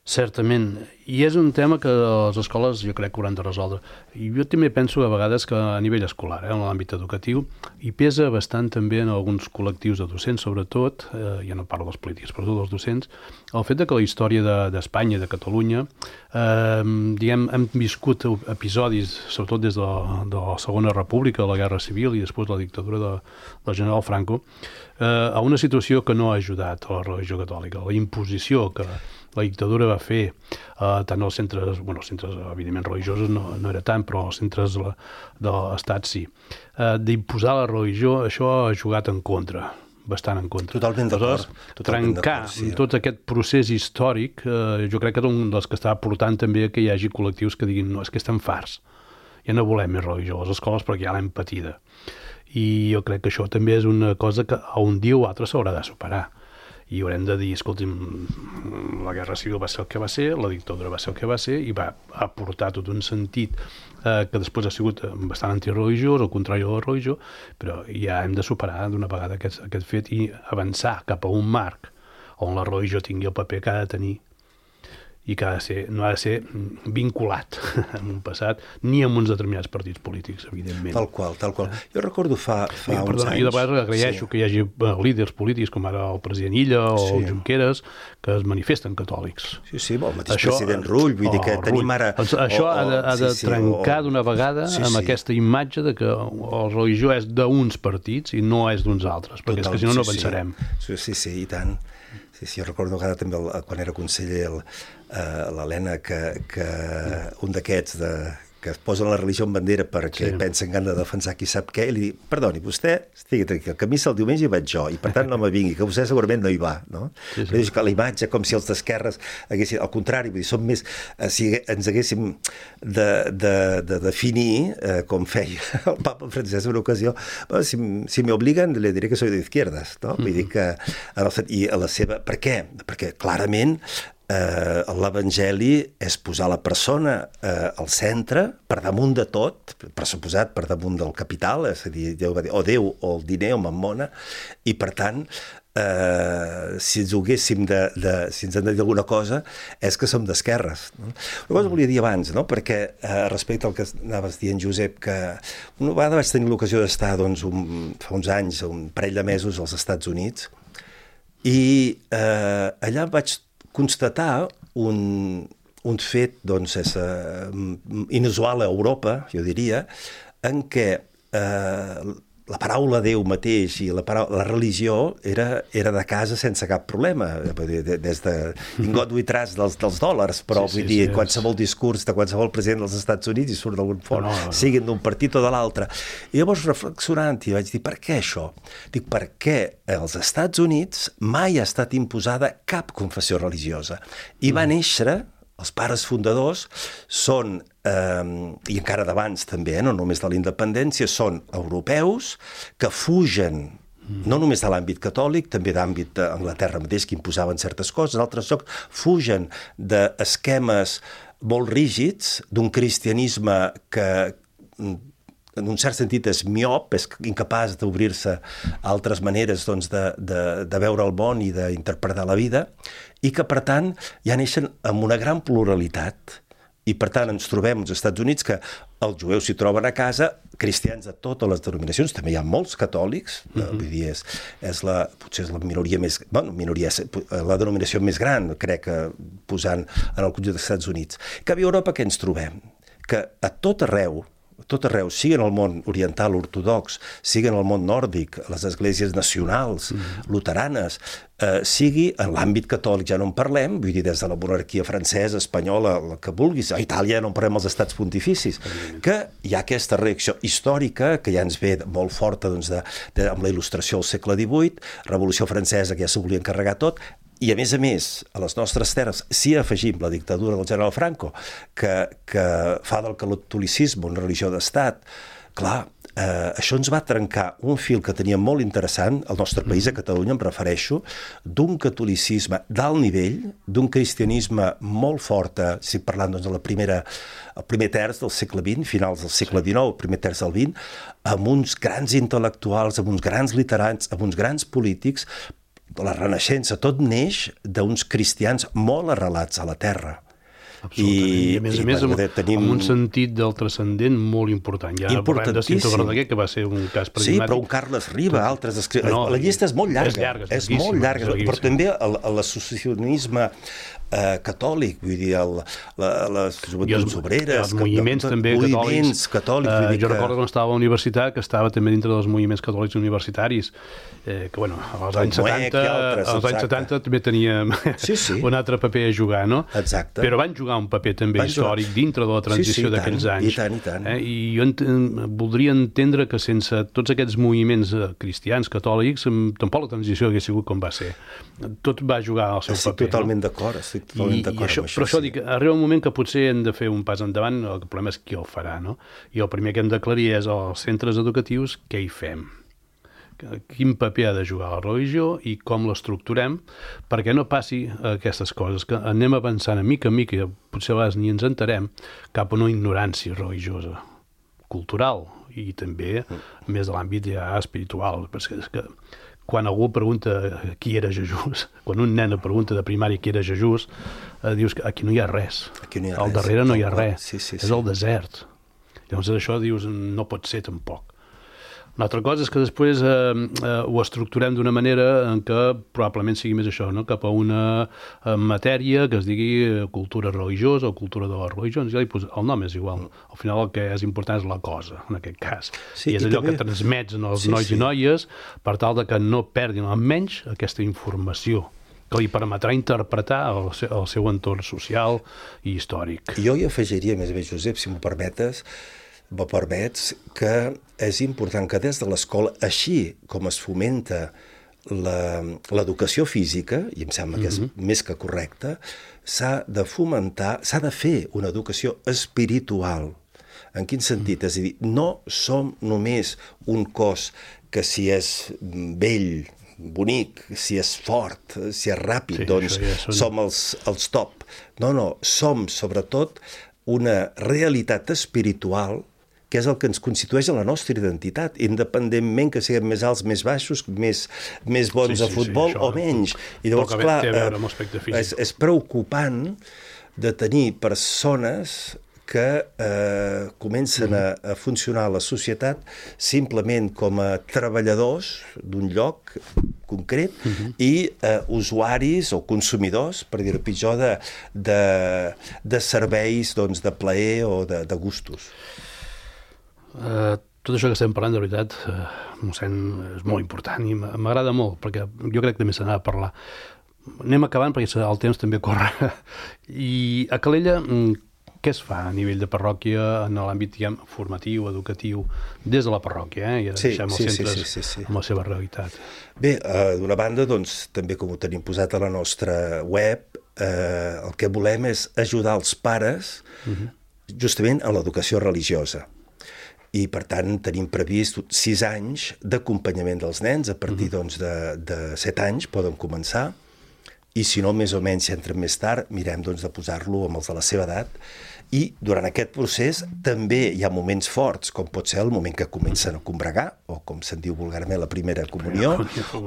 Certament, i és un tema que les escoles jo crec que hauran de resoldre. I jo també penso a vegades que a nivell escolar, eh, en l'àmbit educatiu, hi pesa bastant també en alguns col·lectius de docents, sobretot, eh, ja no parlo dels polítics, però dels docents, el fet de que la història d'Espanya, de, de Catalunya, eh, diguem, hem viscut episodis, sobretot des de la, de la Segona República, la Guerra Civil i després la dictadura de, del general Franco, eh, a una situació que no ha ajudat a la religió catòlica, la imposició que la dictadura va fer, eh, tant als centres, bueno, els centres evidentment religiosos no, no era tant, però els centres de, de l'estat sí. Eh, d'imposar la religió, això ha jugat en contra, bastant en contra. Totalment d'acord. Trencar sí. tot aquest procés històric, eh, jo crec que és un dels que està portant també que hi hagi col·lectius que diguin no, és que estem farts, ja no volem més religió a les escoles perquè ja l'hem patida. I jo crec que això també és una cosa que a un dia o altre s'haurà de superar. I haurem de dir, escolti'm, la Guerra Civil va ser el que va ser, la dictadura va ser el que va ser, i va aportar tot un sentit eh, que després ha sigut bastant antireligiós, al contrari de la religió, però ja hem de superar d'una vegada aquest, aquest fet i avançar cap a un marc on la religió tingui el paper que ha de tenir i que ha de ser, no ha de ser vinculat en un passat, ni amb uns determinats partits polítics, evidentment. Tal qual, tal qual. Jo recordo fa, fa I, uns perdona, anys... Jo de vegades agraeixo sí. que hi hagi líders polítics, com ara el president Illa o sí. el Junqueras, que es manifesten catòlics. Sí, sí, el mateix això, president Rull, vull oh, dir que tenim ara... Doncs això oh, oh, ha de, ha de sí, trencar sí, d'una vegada sí, amb sí. aquesta imatge de que la religió és d'uns partits i no és d'uns altres, perquè Total, és que si no no avançarem. Sí, sí, sí, i tant. Sí, sí, jo recordo que també el, quan era conseller el, uh, l'Helena que, que un d'aquests de, que es posen la religió en bandera perquè sí. pensen que han de defensar qui sap què, i li dic, perdoni, vostè estigui tranquil, que a missa el diumenge hi vaig jo, i per tant no me vingui, que vostè segurament no hi va, no? Sí, sí. Dic que la imatge, com si els d'esquerres haguessin, al contrari, vull dir, som més, eh, si ens haguéssim de, de, de definir, eh, com feia el papa Francesc en una ocasió, bueno, si, si me obliguen, le diré que soy de izquierdas, no? Mm-hmm. Vull dir que, en el, i a la seva, per què? Perquè clarament Eh, l'Evangeli és posar la persona eh, al centre, per damunt de tot, per suposat per damunt del capital, és a dir, Déu va dir, o Déu o el diner o mammona, i per tant, eh, si ens ho haguéssim de, de, si ens han de dir alguna cosa, és que som d'esquerres. No? Una cosa volia dir abans, no? Perquè eh, respecte al que anaves dient, Josep, que una vegada vaig tenir l'ocasió d'estar doncs, un, fa uns anys, un parell de mesos als Estats Units, i eh, allà vaig constatar un, un fet doncs, és, uh, inusual a Europa, jo diria, en què uh, la paraula Déu mateix i la, paraula, la religió era, era de casa sense cap problema, des de in God we trust dels, dels dòlars, però sí, vull sí, dir, sí, qualsevol sí. discurs de qualsevol president dels Estats Units i surt d'algun fort, no, no, no. siguin d'un partit o de l'altre. I llavors, reflexionant, i vaig dir, per què això? Dic, perquè als Estats Units mai ha estat imposada cap confessió religiosa. I va mm. néixer... Els pares fundadors són, eh, i encara d'abans també, eh, no només de la independència, són europeus que fugen no només de l'àmbit catòlic, també d'àmbit d'Anglaterra mateix, que imposaven certes coses, altres llocs, fugen d'esquemes molt rígids, d'un cristianisme que en un cert sentit és miop, és incapaç d'obrir-se a altres maneres doncs, de, de, de veure el món i d'interpretar la vida, i que, per tant, ja neixen amb una gran pluralitat. I, per tant, ens trobem als Estats Units que els jueus s'hi troben a casa, cristians de totes les denominacions, també hi ha molts catòlics, mm-hmm. vull dir, és, és la, potser és la minoria més... Bueno, minoria, la denominació més gran, crec, que posant en el conjunt dels Estats Units. Que a Europa què ens trobem? Que a tot arreu, tot arreu, sigui en el món oriental ortodox, sigui en el món nòrdic, les esglésies nacionals, mm. luteranes, eh, sigui en l'àmbit catòlic, ja no en parlem, vull dir, des de la monarquia francesa, espanyola, la que vulguis, a Itàlia no en parlem els estats pontificis, mm. que hi ha aquesta reacció històrica que ja ens ve molt forta doncs, de, de, amb la il·lustració al segle divuit, Revolució Francesa, que ja s'ho volia encarregar tot, i a més a més, a les nostres terres, si afegim la dictadura del general Franco, que, que fa del catolicisme una religió d'estat, clar, eh, això ens va trencar un fil que tenia molt interessant, al nostre país, a Catalunya, em refereixo, d'un catolicisme d'alt nivell, d'un cristianisme molt fort, si parlant doncs, de la primera, el primer terç del segle vint, finals del segle dinou, el primer terç del vint, amb uns grans intel·lectuals, amb uns grans literats, amb uns grans polítics. La Renaixença, tot neix d'uns cristians molt arrelats a la terra. Absolutament. I, I a més i, a més, amb, tenim... amb un sentit del transcendent molt important. Ja parlem de Cinto Verdaguer, que va ser un cas paradigmàtic. Sí, però un Carles Riba, altres... Escri... No, la llista és molt llarga. És llarga, és, és molt llarga, és però també l'associacionisme eh, catòlic, vull dir, el, la, les joventuts obreres... Els moviments que, també moviments catòlics. catòlics Uh, vull dir jo que... recordo quan estava a la universitat que estava també dintre dels moviments catòlics universitaris, eh, que, bueno, als anys setanta, altres, als anys setanta també teníem sí, sí. un altre paper a jugar, no? Exacte. Però van jugar un paper també van històric jugar... dintre de la transició sí, sí, d'aquells anys. I tant, i tant. Eh? I jo ent voldria entendre que sense tots aquests moviments cristians, catòlics, tampoc la transició hagués sigut com va ser. Tot va jugar al seu estic paper. Totalment no? d'acord, estic totalment d'acord amb això. això. Però això sí. dic, arriba un moment que potser hem de fer un pas endavant, el problema és qui el farà, no? I el primer que hem d'aclarir és als centres educatius què hi fem. Quin paper ha de jugar la religió i com l'estructurem perquè no passi aquestes coses, que anem avançant a mica a mica, potser a vegades ni ens enterem, cap a una ignorància religiosa, cultural i també mm. més de l'àmbit ja espiritual, perquè és que quan algú pregunta qui era Jesús, quan un nen pregunta de primària qui era Jesús, eh, dius que aquí no hi ha res. Aquí no hi ha Al res. darrere no hi ha res. Sí, sí, és sí. el desert. Llavors això dius no pot ser tampoc. Una altra cosa és que després eh, eh, ho estructurem d'una manera en què probablement sigui més això, no? Cap a una eh, matèria que es digui cultura religiosa o cultura de la religió. Ja pues, el nom és igual. Al final el que és important és la cosa, en aquest cas. Sí, I és i allò també... que transmets als sí, nois sí. i noies per tal de que no perdin almenys aquesta informació que li permetrà interpretar el seu, el seu entorn social i històric. Jo hi afegiria, més bé, Josep, si m'ho permetes, m'ho permets, que és important que des de l'escola, així com es fomenta l'educació física, i em sembla que és mm-hmm. més que correcte, s'ha de fomentar, s'ha de fer una educació espiritual. En quin sentit? Mm. És a dir, no som només un cos que si és vell, bonic, si és fort, si és ràpid, sí, doncs ja són... som els, els top. No, no, som sobretot una realitat espiritual que és el que ens constitueix en la nostra identitat, independentment que siguem més alts, més baixos, més, més bons sí, sí, a futbol sí, o menys. I llavors, clar, és, és preocupant de tenir persones que eh, comencen a, a funcionar a la societat simplement com a treballadors d'un lloc concret uh-huh. i eh, usuaris o consumidors, per dir-ho pitjor, de, de, de serveis doncs, de plaer o de, de gustos. Uh, tot això que estem parlant, de veritat, uh, mossèn, és molt important i m'agrada molt, perquè jo crec que també se n'ha de parlar. Anem acabant perquè el temps també corre. I a Calella, què es fa a nivell de parròquia en l'àmbit, diguem, formatiu, educatiu, des de la parròquia, eh? I ara sí, deixem els sí, centres sí, sí, sí, sí. amb la seva realitat. Bé, uh, d'una banda, doncs, també com ho tenim posat a la nostra web, eh, el que volem és ajudar els pares uh-huh. justament en l'educació religiosa. I, per tant, tenim previst sis anys d'acompanyament dels nens. A partir doncs, de, de set anys poden començar, i si no, més o menys, si entren més tard, mirem doncs, de posar-lo amb els de la seva edat. I durant aquest procés també hi ha moments forts, com pot ser el moment que comencen a combregar, o com se'n diu vulgarment la primera comunió,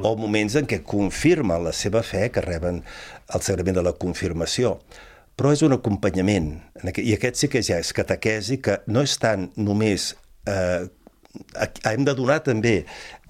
o moments en què confirmen la seva fe, que reben el sagrament de la confirmació. Però és un acompanyament, i aquest sí que ja és catequesi, que no és tant només Eh, hem de donar també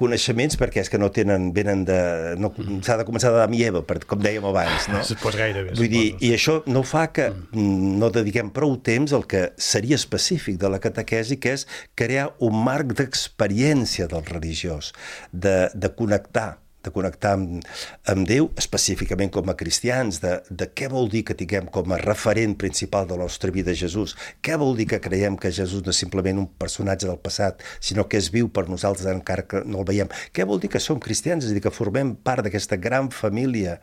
coneixements perquè és que no tenen, venen de... No, s'ha de començar d'Adam i Eva, per, com dèiem abans, no? Pues gairebé. Vull dir, i això no fa que no dediquem prou temps al que seria específic de la catequesi, que és crear un marc d'experiència del religiós, de, de connectar de connectar amb, amb Déu, específicament com a cristians, de, de què vol dir que tinguem com a referent principal de la nostra vida Jesús, què vol dir que creiem que Jesús no és simplement un personatge del passat, sinó que és viu per nosaltres encara que no el veiem, què vol dir que som cristians, és a dir, que formem part d'aquesta gran família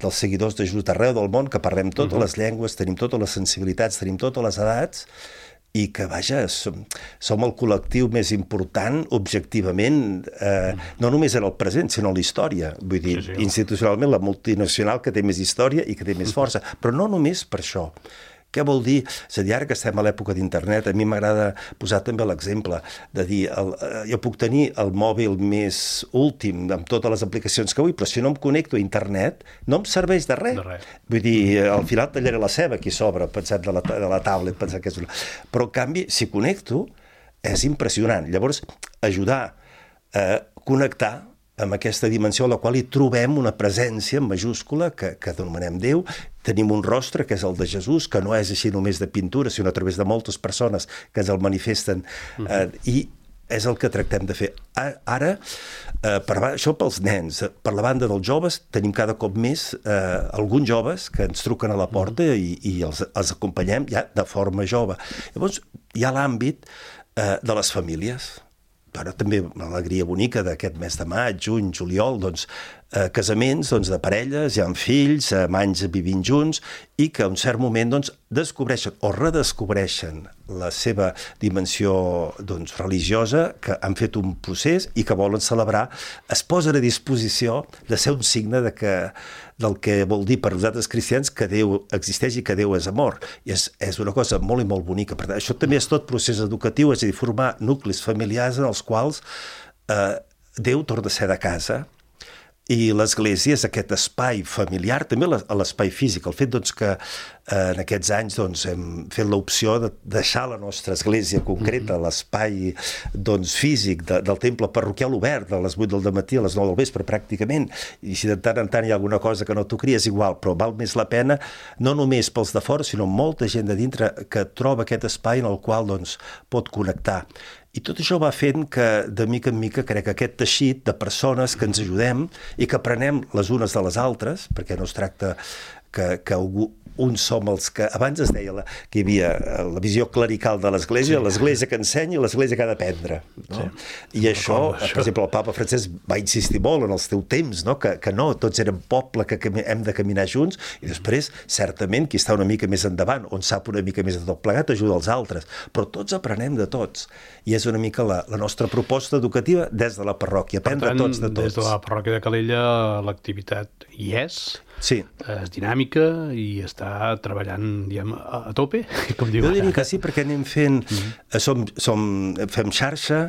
dels seguidors de Jesús d'arreu del món, que parlem totes uh-huh. les llengües, tenim totes les sensibilitats, tenim totes les edats, i que, vaja, som, som el col·lectiu més important, objectivament, eh, no només en el present, sinó en la història. Vull dir, sí, sí. institucionalment, la multinacional que té més història i que té més força. Però no només per això. Què vol dir? És a dir, ara que estem a l'època d'internet, a mi m'agrada posar també l'exemple de dir, el, jo puc tenir el mòbil més últim amb totes les aplicacions que vull, però si no em connecto a internet, no em serveix de res. De res. Vull dir, al final tallaré la ceba aquí sobre, pensant de la, de la tablet, pensant que és una... Però, en canvi, si connecto, és impressionant. Llavors, ajudar a connectar amb aquesta dimensió a la qual hi trobem una presència en majúscula que, que denomenem Déu. Tenim un rostre, que és el de Jesús, que no és així només de pintura, sinó a través de moltes persones que ens el manifesten. Uh-huh. eh, I és el que tractem de fer. Ara, eh, per, això pels nens. Per la banda dels joves, tenim cada cop més eh, alguns joves que ens truquen a la porta uh-huh. i, i els, els acompanyem ja de forma jove. Llavors, hi ha l'àmbit eh, de les famílies. Però també l'alegria bonica d'aquest mes de maig, juny, juliol, doncs, eh, casaments doncs, de parelles, ja amb fills, amb anys vivint junts, i que a un cert moment doncs, descobreixen o redescobreixen la seva dimensió doncs, religiosa, que han fet un procés i que volen celebrar, es posen a disposició de ser un signe de que, del que vol dir per nosaltres cristians que Déu existeix i que Déu és amor. I és, és una cosa molt i molt bonica. Per tant, això també és tot procés educatiu, és a dir, formar nuclis familiars en els quals eh, Déu torna a ser de casa, i l'Església és aquest espai familiar, també l'espai físic. El fet doncs, que eh, en aquests anys doncs, hem fet l'opció de deixar la nostra església concreta, mm-hmm. l'espai doncs, físic de, del temple parroquial obert, de les vuit del dematí a les nou del vespre, pràcticament, i si de tant en tant hi ha alguna cosa que no t'ho cries, igual, però val més la pena, no només pels de fora, sinó molta gent de dintre que troba aquest espai en el qual doncs, pot connectar. I tot això va fent que, de mica en mica, crec que aquest teixit de persones que ens ajudem i que aprenem les unes de les altres, perquè no es tracta que, que algú, uns som els que... Abans es deia la, que hi havia la visió clerical de l'Església, sí. l'Església que ensenya i l'Església que ha d'aprendre. No? Sí. I això, per exemple, el papa Francesc va insistir molt en els teus temps, no? que, que no, tots érem poble, que hem de caminar junts, i després, certament, qui està una mica més endavant, on sap una mica més de tot plegat, ajuda els altres. Però tots aprenem de tots. I és una mica la, la nostra proposta educativa des de la parròquia, aprendre tant, tots de tots. Des de la parròquia de Calella l'activitat hi és, sí. és dinàmica i està treballant diguem, a, a tope, com diu. Jo diria que sí, perquè anem fent, mm-hmm. som, som, fem xarxa,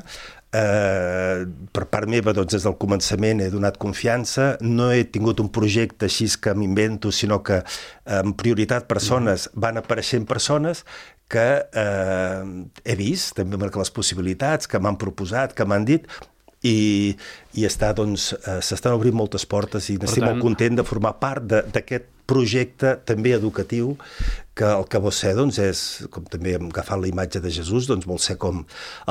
eh, per part meva, doncs, des del començament he donat confiança, no he tingut un projecte així que m'invento, sinó que en prioritat persones, mm-hmm. van apareixent persones que eh, he vist, també marcar les possibilitats, que m'han proposat, que m'han dit, i, i està, doncs, eh, s'estan obrint moltes portes i estic molt content de formar part d'aquest projecte també educatiu que el que vol ser, doncs, és, com també hem agafat la imatge de Jesús, doncs vol ser com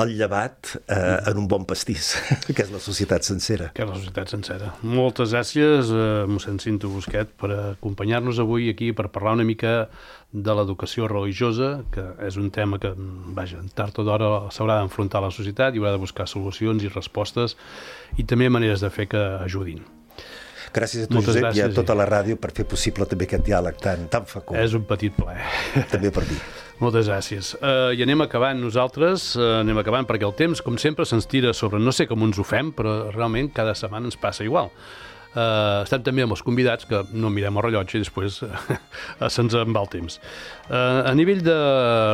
el llevat eh, en un bon pastís, que és la societat sencera. Que és la societat sencera. Moltes gràcies, eh, mossèn Cinto Busquet, per acompanyar-nos avui aquí per parlar una mica de l'educació religiosa, que és un tema que, vaja, tard o d'hora s'haurà d'enfrontar a la societat i haurà de buscar solucions i respostes i també maneres de fer que ajudin. Gràcies a tu, Moltes Josep, gràcies, i a tota la ràdio per fer possible també aquest diàleg tan, tan fecund. És un petit plaer. També per mi. Moltes gràcies. Uh, I anem acabant nosaltres, uh, anem acabant perquè el temps, com sempre, se'ns tira sobre... No sé com ens ho fem, però realment cada setmana ens passa igual. Uh, estem també amb els convidats, que no mirem el rellotge i després uh, se'ns en va el temps. Uh, a nivell de,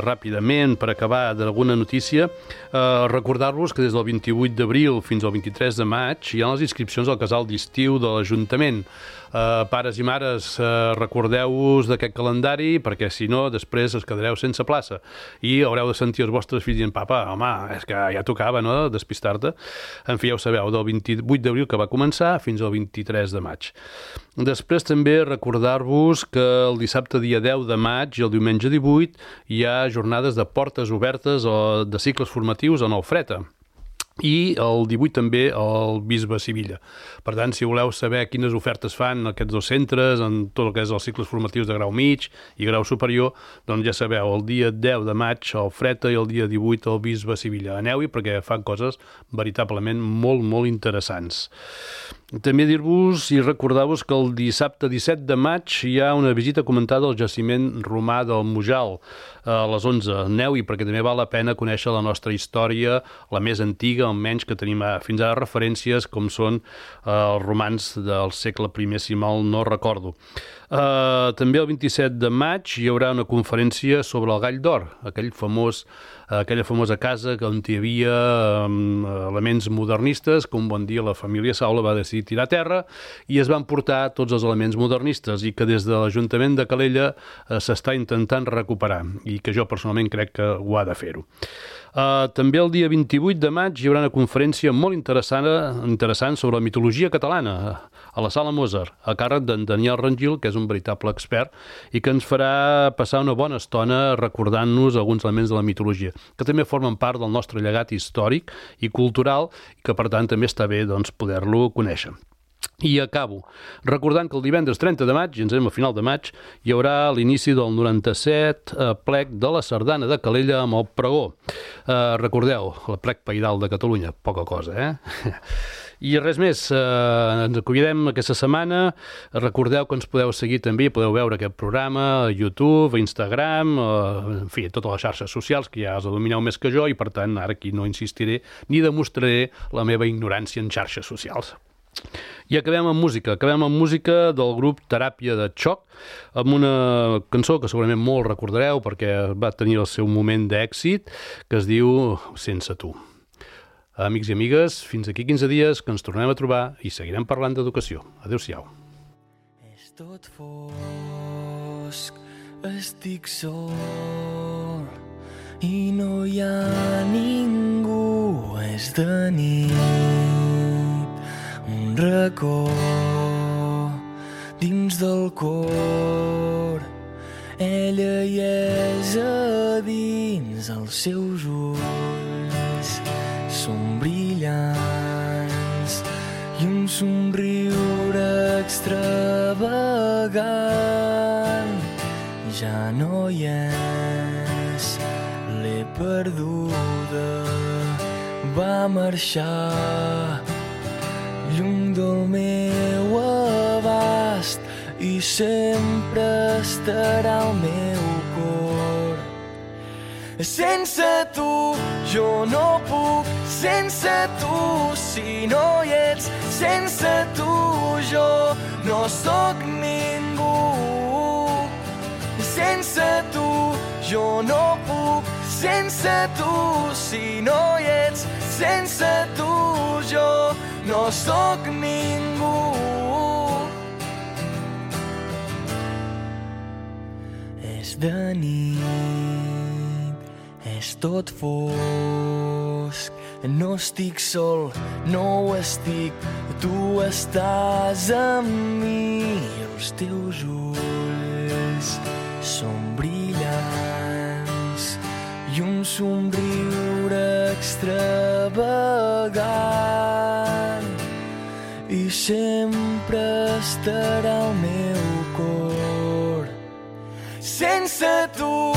ràpidament, per acabar, d'alguna notícia, uh, recordar-vos que des del vint-i-vuit d'abril fins al vint-i-tres de maig hi ha les inscripcions al casal d'estiu de l'Ajuntament. Uh, pares i mares, uh, recordeu-vos d'aquest calendari, perquè si no, després es quedareu sense plaça i haureu de sentir els vostres fills dient, papa, home, és que ja tocava, no?, despistar-te. En fi, ja ho sabeu, del vint-i-vuit d'abril que va començar fins al vint-i-tres de maig. Després també recordar-vos que el dissabte dia deu de maig i el diumenge divuit hi ha jornades de portes obertes o de cicles formatius a Nou Freta. I el divuit també el Bisbe Sivilla. Per tant, si voleu saber quines ofertes fan aquests dos centres en tot el que és els cicles formatius de grau mig i grau superior, doncs ja sabeu, el dia deu de maig al Freta i el dia divuit al Bisbe Sivilla. Aneu-hi perquè fan coses veritablement molt, molt interessants. També dir-vos i recordar-vos que el dissabte disset de maig hi ha una visita comentada al jaciment romà del Mujal a les onze. Aneu-hi perquè també val la pena conèixer la nostra història, la més antiga, almenys que tenim fins ara referències com són eh, els romans del segle primer, si mal no recordo. Uh, també el vint-i-set de maig hi haurà una conferència sobre el Gall d'Or, aquell famós, uh, aquella famosa casa on hi havia um, elements modernistes que un bon dia la família Saula va decidir tirar a terra i es van portar tots els elements modernistes i que des de l'Ajuntament de Calella uh, s'està intentant recuperar i que jo personalment crec que ho ha de fer-ho. Uh, també el dia vint-i-vuit de maig hi haurà una conferència molt interessant, interessant sobre la mitologia catalana a la Sala Mozart, a càrrec d'en Daniel Rangil, que és un veritable expert i que ens farà passar una bona estona recordant-nos alguns elements de la mitologia, que també formen part del nostre llegat històric i cultural i que per tant també està bé doncs, poder-lo conèixer. I acabo recordant que el divendres trenta de maig, i ens anem a final de maig, hi haurà l'inici del noranta-set eh, plec de la Sardana de Calella amb el pregó. Eh, recordeu, el plec paidal de Catalunya, poca cosa, eh? I res més, eh, ens acomiadem aquesta setmana. Recordeu que ens podeu seguir també, podeu veure aquest programa a YouTube, a Instagram, eh, en fi, a totes les xarxes socials, que ja els domineu més que jo, i per tant ara aquí no insistiré ni demostraré la meva ignorància en xarxes socials. I acabem amb música, acabem amb música del grup Teràpia de Xoc, amb una cançó que segurament molt recordareu perquè va tenir el seu moment d'èxit, que es diu Sense tu. Amics i amigues, fins aquí quinze dies que ens tornem a trobar i seguirem parlant d'educació. Adéu-siau. És tot fosc, estic sol i no hi ha ningú, és de nit. Un racó dins del cor, ella hi és a dins, els seus ulls són brillants i un somriure extravagant. Ja no hi és, l'he perduda, va marxar lluny del meu abast i sempre estarà al meu cor. Sense tu jo no puc, sense tu si no hi ets, sense tu jo no sóc ningú. Sense tu jo no puc, sense tu si no hi ets, sense tu jo no sóc ningú. És de nit, és tot fosc, no estic sol, no ho estic, tu estàs amb mi. Els teus ulls són brillants i un somriure extravagant i sempre estarà al meu cor. Sense tu